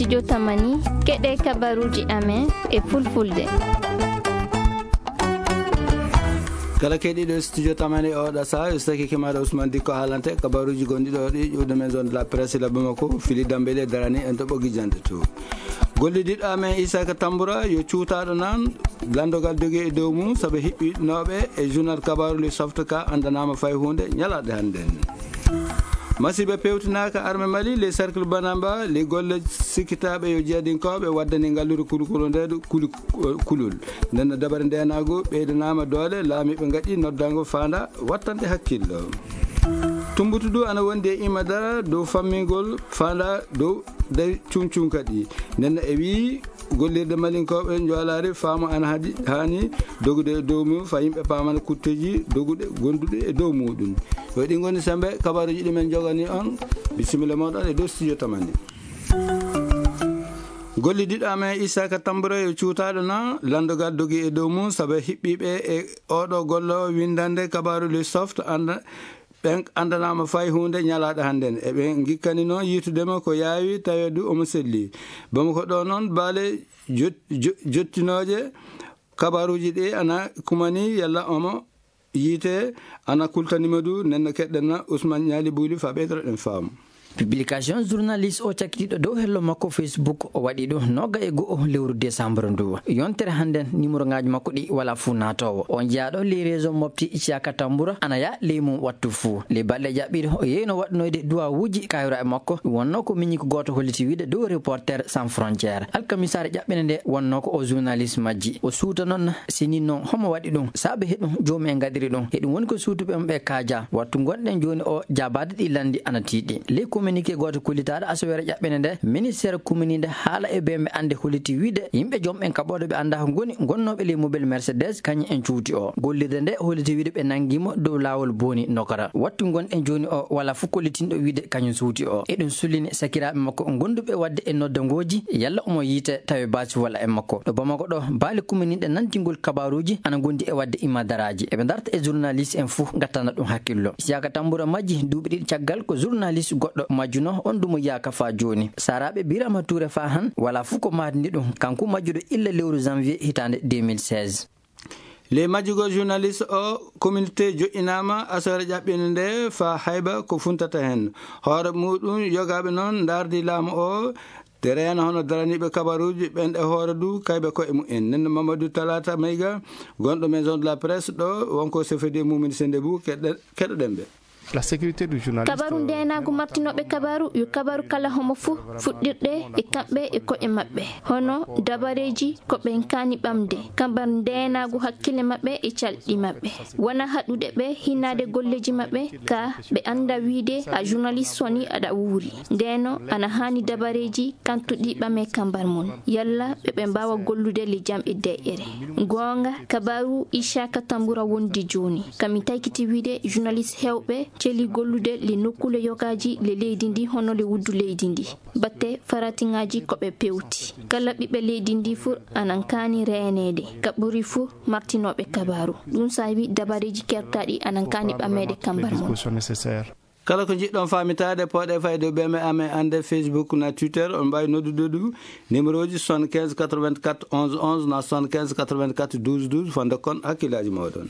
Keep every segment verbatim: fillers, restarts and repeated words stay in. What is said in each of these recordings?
Studio Tamani, keɗee kabaruuji amen e fulfulde. Kala keɗiiɗo Studio Tamani e oɗo sahaa, yo saki kemaɗo Ousmane Dikko haalante kabaruuji gonɗi ɗo ɗi ƴuwde Maison de la Presse la Bamako, Fili Dambele darani en to ɓoggi jannde to. Gollidiiɗo amen Isaka Tambura yo cuutaaɗo nan lanndogal dogi e dow mum, sabu hiɓɓinooɓe e journal kabaaru le Soft ka anndanaama fay huunde ñalaaɗe hannden. Masiiba pewtinaaka arme Mali, le cercle Banamba, le golle sikkitaaɓe yo jeedinkooɓe waddani ngalluure kulukulu nde ɗo kuli-, kulol. Nden no dabare ndeenaagu ɓeydanaama doole, laamiiɓe ngaɗi noddango faanda wattande hakkillo. Tumbutu du ana wondi e imma dara dow fammingol faanda dow day cuŋcuŋ kadi. Nden no e wii gollirde malinkooɓe njoolaari faamu ana hadi haani dogude e dow mum, fa yimɓe paamana kutteeji doguɗe gonduɗe e dow muuɗum. Yo ɗi ngoni sembe kabaruuji ɗi men njogani on. Bisimilla mooɗon e dow studio Tamani. Gollidiiɗo amen Isaka Tambura yo cuutaaɗo na lanndogal dogi e dow mum, sabu hiɓɓiiɓe e oɗo gollo winndande kabaaru le Soft anda ɓen anndanaama fay huunde ñalaaɗe hannden. Eɓe ngikkani noon yiitude mo ko yaawi, tawee du omo selli. Bamako ɗo noon, baale jot-, jo-, jottinooje kabaaruuji ɗi ana kumani, yalla omo yiite, ana kultani mo du, nden no keɗɗen na Ousmane Ñaali Buuli fa ɓeydoɗen faamu. Publication journaliste o cakkitiiɗo dow hello makko Facebook o waɗi ɗum nooga e go'o lewru décembre ndu. Yontere hannden, numéro ŋaaji makko ɗi wala fuu naatoowo. On jeyaaɗo ley réseau mofti Isiyaka Tambura ana yaa ley mum wattu fuu. Ley balɗe jaɓɓiiɗe, o yeeyno waɗnoyde duwawuuji kaayiraaɓe makko. Ɗum wonnoo ko miñi ko gooto holliti wiide dow Reporter sans frontière. Alkamisaare ƴaɓɓende nde wonnoo ko o journaliste majji. O suuta noon, sini noon homo waɗi ɗum, saabe heɗum joomi en ngaɗiri ɗum. Heɗum woni ko suutuɓe mum ɓe kaaja. Wattu ngonɗen jooni o, jaabaade ɗi lanndi ana tiiɗi. Ley communiqué gooto kullitaaɗo asaweere ƴaɓɓende nde, ministeer kuminiinde haala e bee ɓe annde holliti wiide yimɓe joom ɓen kaɓooɗo ɓe anndaa ko ngoni, ngonnooɓe ley mobel Mercedes, kañum en cuuti o. Gollirde nde holliti wiide ɓe nanngi mo dow laawol Booni Nokara. Wattu ngonɗen jooni o, walaa fof kollitinɗo wiide kañum suuti o. Eɗum sullini sakiraaɓe makko gonduɓe waɗde e noddangooji, yalla omo yiite tawi baasi walla e makko. Ɗo Bamako ɗo, baale kuminiiɗe nantingol kabaaruuji ana ngondi e waɗde imma daraaji. Eɓe ndarta e journaliste en fof, ngattana ɗum hakkillo. Isiyaka Tambura majji duuɓi ɗiɗi caggal ko journaliste goɗɗo majjunoo, on dumo yaaka faa jooni. Saaraaɓe Birama Touré faa han, walaa fof ko maatini ɗum. Kanko majjuɗo illa lewru janvier hitaande deux mille seize. Ley majjugol journaliste o, communauté joƴƴinaama asaweere ƴaɓɓiinde nde faa hayba ko funtata heen. Hoore muuɗum yogaaɓe noon ndaardi laamu o, te reena hono daraniiɓe kabaruuji ɓen e hoore du kayɓe koye mumen. Nden no Mamadou Talata Mayga, gonɗo Maison de la Presse ɗo, wonko sefedi e mumini sende bu, keɗe-, keɗoɗen ɓe. La sécurité du journaliste. Kabaru ndeenaagu martinooɓe kabaru yo kabaru kala homo fuu, fuɗɗirde e kamɓe e ko'e maɓɓe. Hono dabareeji ko ɓen kaani ɓamde, kambar ndeenaagu hakkille maɓɓe e calɗi maɓɓe. Wona haɗude ɓe hinnaade golleeji maɓɓe, ka ɓe annda wiide a journaliste woni aɗa wuuri. Ndeenoo ana haani dabareeji kantuɗi ɓamee kambar mum. Yalla ɓe ɓe mbaawa gollude le jam e deƴƴere. Goonga, kabaru Isiyaka Tambura wondi jooni. Kami taykiti wiide journaliste heewɓe celi gollude le nokkuule yogaaji le leydi ndi hono le wuddu leydi ndi. Batte faratiŋaaji ko ɓe pewti. Kala ɓiɓɓe leydi ndi fuu anan kaani reeneede. Ka ɓuri fuu martinooɓe kabaru. Ɗum saabi dabareeji kertaaɗi anan kaani ɓameede kambar mum. Kala ko njiɗɗon faamitaade, pooɗee fayde ɓe me amen annde Facebook na Twitter, on mbaawi noddude du numéro ji soixante-quinze quatre-vingt-quatre onze onze na soixante-quinze quatre-vingt-quatre douze douze, fonnde kon hakkillaaji mooɗon.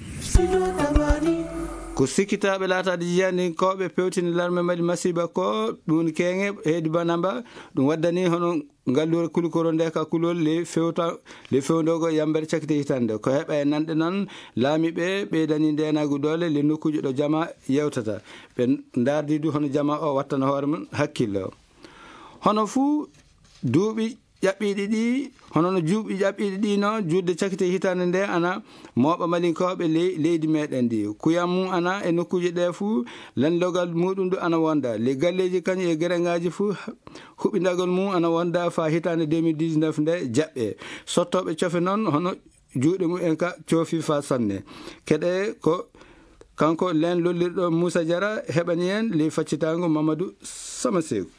Ko sikkitaaɓe laataade jiyaninkooɓe pewtini larme Mali masiiba ko ɗum keeŋe heedi Banamba, ɗum waddani hono ngalluure Kulikoro nde ka kulol le fewta, le fewndoogo yambere cakite hitande. Ko heɓa e nanɗe noon, laamiiɓe ɓeydani ndeenaagu doole le nokkuuji ɗo jama yewtata. Ɓe ndaardi du hono jama o wattana hoore mum hakkillo. Hono fuu duuɓi ƴaɓɓiiɗi ɗi, hono no juuɓi ƴaɓɓiiɗi ɗi no juutde cakite hitande nde ana mooɓa malinkooɓe ley-, leydi meɗen ndi. Kuyam mum ana e nokkuuji ɗe fuu, lanndogal muɗum du ana wonda. Ley galleeji kañum e gereŋaaji fuu, huɓindagol mum ana wonda faa hitaande deux mille dix-neuf nde jaɓɓe. Sottooɓe cofe noon, hono juuɗe mumen ka coofi faa sanne. Keɗe ko kanko leen lollirɗo Muusa Jara heɓani en ley faccitaango Mamadou Sama Seeku.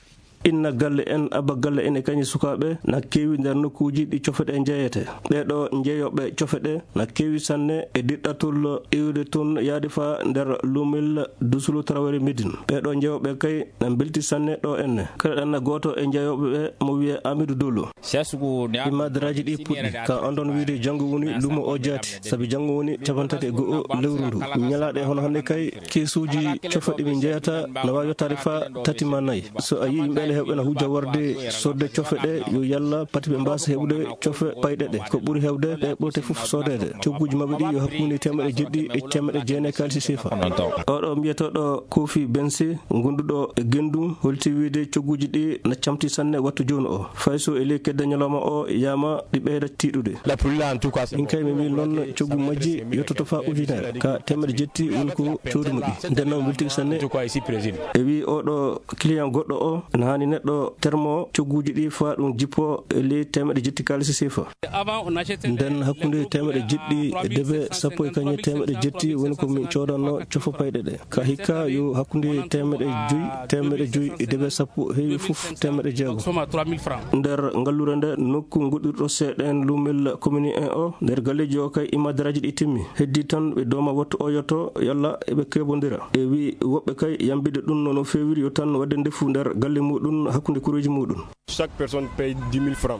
Inna galle en, abba galle en e kañum e sukaaɓe na keewi nder nokkuuji ɗi cofe ɗee njeyetee. Ɓee ɗoo njeeyooɓe cofe ɗee na keewi sanne e diɗɗatol iwde toon yaade faa nder luumel Dusulu Tarawere Medin. Ɓee ɗoo njeeyooɓe kay na mbelti sanne ɗoo enne. Keɗoɗen gooto e njeeyooɓe ɓee mo wiyee Amidu Dolo. Imadaraaji ɗii puɗɗi. Ka anndon wiyde janngo woni luumo oo jaati, sabi janngo woni cappanɗe tati e go'o lewru nduu. Ñalaaɗe hono hannde kay, keesuuji cofe ɗi min njeyata na waawi yottaade faa tati maa nay. So a yii yimɓe ene heewɓe na hujja warde soodde cofe ɗee, yo yalla pati ɓe mbaasa heɓude cofe payɗe ɗee. Ko ɓuri heewde ɗe ɓurte fof soodeede. Cogguuji maɓɓe ɗii yo hakkunde teemeɗɗe jeɗɗi e teemeɗɗe jeenay kaalisi seefa. Oɗo mbiyetooɗo Kofi Bense, gonduɗo e Gendu, holti wiyde cogguuji ɗii na camti sanne wattu jooni oo. Fay so e ley kedde ñalawma oo yaama ɗi ɓeyda tiiɗude. Min kay mi wii noon coggu majji yottoto faa ujunere. Ka teemeɗɗe jeɗɗi woni ko cooduno ɗi. Nden noon weltike sanne. E wii oɗo client goɗɗo oo, ene haani neɗɗo termo cogguuji ɗii faa ɗum jippoo e ley teemeɗɗe jeɗɗi kaalisi seefa. Nden hakkunde teemeɗɗe jeɗɗi e debe sappo e kañe teemeɗɗe jeɗɗi woni ko min coodanno cofa payɗe ɗe. Ka hikka yo hakkunde teemeɗɗe joy, teemeɗɗe joy e debe sappo heewi fof teemeɗɗe jeego. Nder ngalluure nde nokku ngoɗɗirɗo seeɗa en luumel commune en o, nder galleeji o kay imadaraaji ɗi timmi. Heddii tan ɓe dooma wattu o yotto yalla eɓe keebondira. E wii woɓɓe kay yambide ɗum no, no feewiri yo tan waɗde ndefu nder galle muɗum hakkunde kureeji muɗum.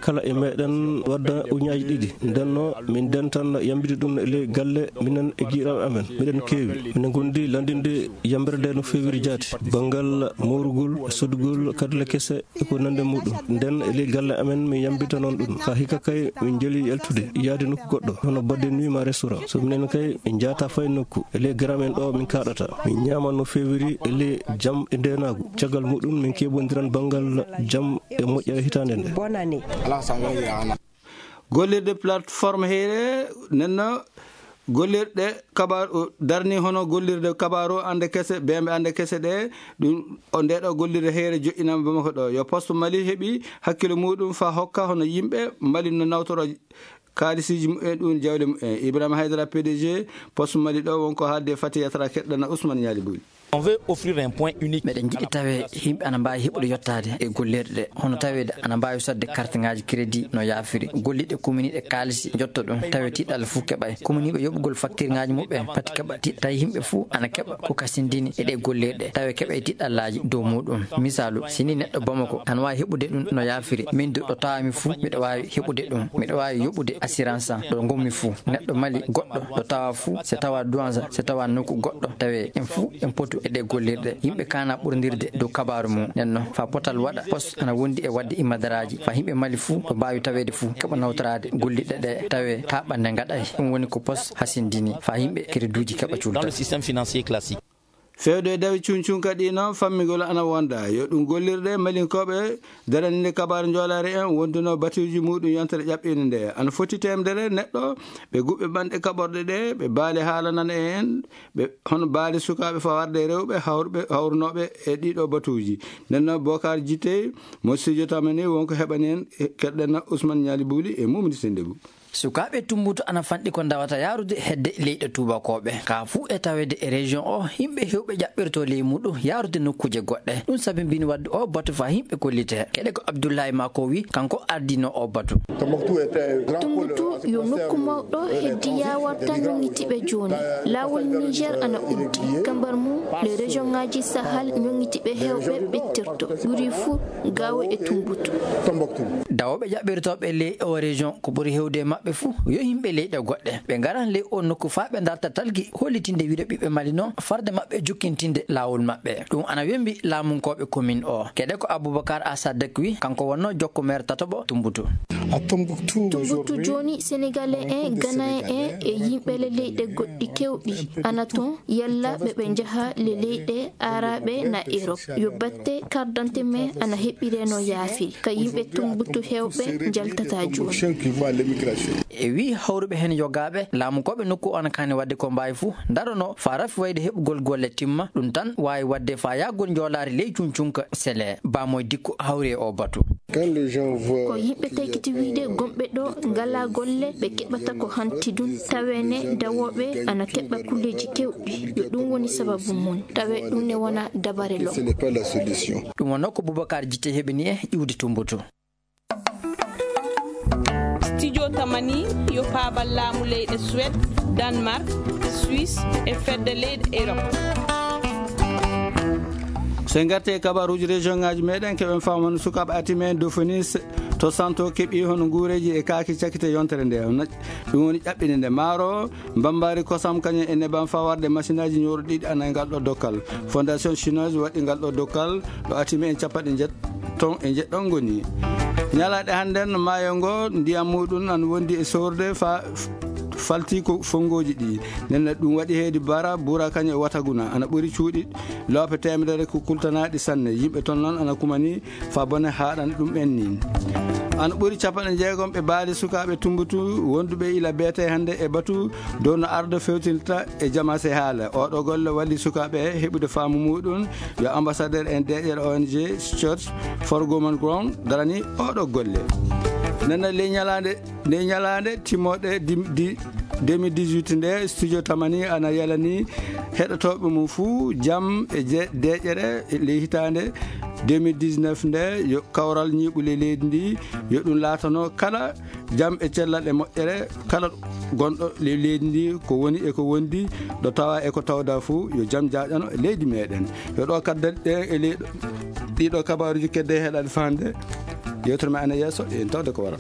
Kala e meɗen wadda ujunnaaji ɗiɗi. Nden no min ndentan yambude ɗum e ley galle, minen e giɗaaɓe amen. Miɗen keewi. Minen ngondi lanndinde yambere nde no feewiri jaati. Banngal moorugol, sodugol, kadule kese e ko nanndi muɗum. Nden e ley galle amen min yambita noon ɗum. Ka hikka kay min njeli yaltude, yaade nokku goɗɗo, hono bodde nuit ma restaurant. So minen kay min njaata fay nokku. E ley garam en ɗo min kaaɗata. Min ñaama no feewiri e ley jam e ndeenaagu. Caggal muɗum min keebondiran banngal jam e moƴƴere hitaande nde. Gollirde plateforme heyre nenno gollirɗe kabaar, darni hono gollirde kabaaru annde kese, beembe annde kese ɗe, ɗum o nde ɗo gollirde heyre joƴƴinama Bamako ɗo. Yo Poste Mali heɓi hakkilo muɗum fa hokka hono yimɓe Mali no nawtoro kaalisiiji muɓɓen ɗum jawle muɓɓen. Ibrahima Haydara, P D G Poste Mali ɗo wonko haalde Fati Yatara, keɗɗana Ousmane Ñaali Buli. On veut offrir un point unique. Meɗen njiɗi tawe yimɓe ana mbaawi heɓude yottaade e gollirɗe ɗe, hono taweede ana mbaawi sodde karteŋaaji crédit no yaafiri. Golliiɓe kominiiɓe kaalisi njotto ɗum, tawe tiiɗalla fof keɓay. Kominiiɓe yoɓugol faktirŋaaji muɓɓen pati keɓa ti-, tawi yimɓe fof ana keɓa ko kasindini e ɗe gollirɗe, tawe keɓay tiiɗallaaji dow muɗum. Misaalu, si ni neɗɗo Bamako ana waawi heɓude ɗum no yaafiri, min du ɗo tawami fof miɗo waawi heɓude ɗum. Miɗo waawi yoɓude assurance am ɗo ngonmi fof. Neɗɗo Mali goɗɗo ɗo tawa fof, so tawa Douentza, so tawa nokku goɗɗo, tawe en fof en potu e ɗe gollirɗe. Yimɓe kana ɓurndirde dow kabaaru mum. Nden noon, faa potal waɗa, Poste ana wondi e waɗde imadaraaji, faa yimɓe Mali fof ɗo mbaawi taweede fof, keɓa nawtoraade gollirɗe ɗe, tawe taaɓannde ngaɗay. Ɗum woni ko Poste hasindini, faa yimɓe crédituuji keɓa cuulta. Dans le système financier classique. Fewde e dawi cuncunka ɗi noon, fammingol ana wonda. Yo ɗum gollirɗe Malinkooɓe daraninde kabaaru njoolaari en wonduno batuuji muɗum yontere ƴaɓɓiinde nde. Ana foti teemedere neɗɗo ɓe guɓɓe ɓanɗe kaɓorɗe ɗe, ɓe baali haalanana en, ɓe hono baali sukaaɓe fawarde e rewɓe hawruɓe, hawrunooɓe e ɗiɗo batuuji. Nden noon, Bokar Jitey, mo studio tamani, wonko heɓani en, keɗɗen Ousmane Ñaali Buli e Mumni Sendegu. Sukaaɓe Tumbutu ana fanɗi ko ndawata yaarude hedde leyɗe tuubakooɓe. Ka fuu e taweede e région o, yimɓe heewɓe ƴaɓɓirto ley muɗum yaarude nokkuuje goɗɗe. Ɗum sabibini waɗde o batu faa yimɓe kollite. Keɗe ko Abdullahi Mako wi, kanko ardino o batu. Tumbutu yo nokku mawɗo heddi yaawar tan ñoŋitiiɓe jooni. Laawol Niger ana uddi. Kambar mum, les régions ŋaaji Sahel ñoŋitiiɓe heewɓe ɓettirto. Ɓuri fuu Gaawo e Tumbutu. Dawooɓe ƴaɓɓirtooɓe ley o région, ko ɓuri heewde e maɓɓe fuu, yo yimɓe leyɗe goɗɗe. Ɓe ngaran ley o nokku faa ɓe ndarta talgi, hollitinde wiyde ɓiɓɓe Mali noon, farde maɓɓe jokkintinde laawol maɓɓe. Ɗum ana wembi laamunkooɓe commune o. Keɗe ko Aboubacar Assadeck wi, kanko wonnoo jokko maire tataɓo Tumbutu. Tumbutu jooni, Sénégalais en, Ghanéen en e yimɓe le leyɗe goɗɗi keewɗi ana ton, yalla ɓe ɓe njaha le leyɗe Aaraɓe na Erop. Yo batte carte d'identité men ana heɓɓiree no yaafiri. Ka yimɓe Tumbutu heewɓe njaltata jooni. E wii hawruɓe heen yogaaɓe, laamunkooɓe nokku o ana kaani waɗde ko mbaawi fuu, ndarono faa rafi wayde heɓugol golle timma, ɗum tan waawi waɗde faa yahgol njoolaari ley cuncunka sele. Baamoy Dikko hawri e oo batu. Ko yimɓe taykiti wiyde gomɓe ɗo ngalaa golle, ɓe keɓata ko hanti ɗum, taweene dawooɓe ana keɓa kulleeji keewɗi. Yo Ɗum woni sababu mum. Tawe ɗum ne wona dabare lo. Ce n'est pas la solution. Ɗum wonno ko Boubacar Jite heɓini e iwde Tumbutu. Studio Tamani yo paabal laamu leyɗe Suède, Danemark, Suisse e fedde leyɗe Europe. So en ngartii e kabaaruuji région ngaaji meɗen, keɓen faamano sukaaɓe Atime Dauphinois to Santo keɓi hono nguureeji e kaaki cakkite yontere nde. Ɗum woni ƴaɓɓinde nde maaro, mbambaari kosam kañum e nebam faa warde masinaaji ñooro ɗiɗi ana e ngal ɗo dokkal. Fondation chinoise waɗi ngal ɗo dokkal ɗo Atime en capanɗe njeeto e njeɗɗo ngoni. Ñalaaɗe hannden maayo ngo ndiyam muuɗum ana wondi e soorde faa falti ko fonngooji ɗi. Nden ɗum waɗi heedi Bara, Bura kañum e Wataguna ana ɓuri cuuɗi loope teemedere ko kultanaaɗi sanne. Yimɓe ton noon ana kumani faa bone haaɗan ɗum en nii. Ana ɓuri capanɗe jeegom ɓe baali sukaaɓe Tumbutu wonduɓe ila beetee hannde e batu dow no ardo fewtinta e jamaase haala. Oɗo golle walli sukaaɓe heɓude faamu muuɗum. Yo ambassadeur en deeƴere O N G Search for Common Ground darani oɗo golle. Nana ley ñalaande nde ñalaande timmoode di- di- deux mille dix-huit nde, Studio Tamani ana yalani heɗotooɓe mum fuu jam e je- deeƴere ley hitaande deux mille dix-neuf nde. Yo kawral ñiiɓu ley leydi ndi, yo ɗum laatano kala jam e cellal e moƴƴere kala gonɗo ley leydi ndi, ko woni e ko wondi, ɗo tawa e ko tawda fuu, yo jam jaaƴano leydi meɗen. Yo ɗo kadda ɗe e ley ɗiɗo kabaaruuji kedde heɗaade faande. Yewtere men ana yeeso, en tawde ko wara.